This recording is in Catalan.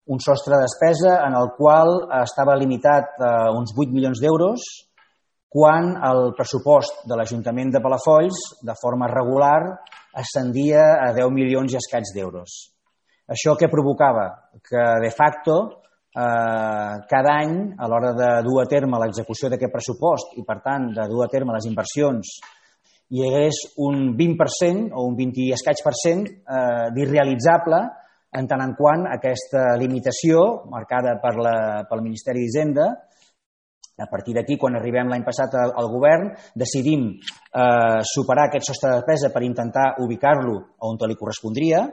un sostre de despesa en el qual estava limitat a uns 8 milions d'euros, quan el pressupost de l'Ajuntament de Palafolls, de forma regular, ascendia a 10 milions i escaig d'euros. Això què provocava? Que, de facto, cada any, a l'hora de dur a terme l'execució d'aquest pressupost i, per tant, de dur a terme les inversions, hi hagués un 20% o un 20 i escaig per cent d'irrealitzable en tant en quant aquesta limitació marcada pel Ministeri d'Hisenda. A partir d'aquí, quan arribem l'any passat al govern, decidim superar aquest sostre de despesa per intentar ubicar-lo on li correspondria.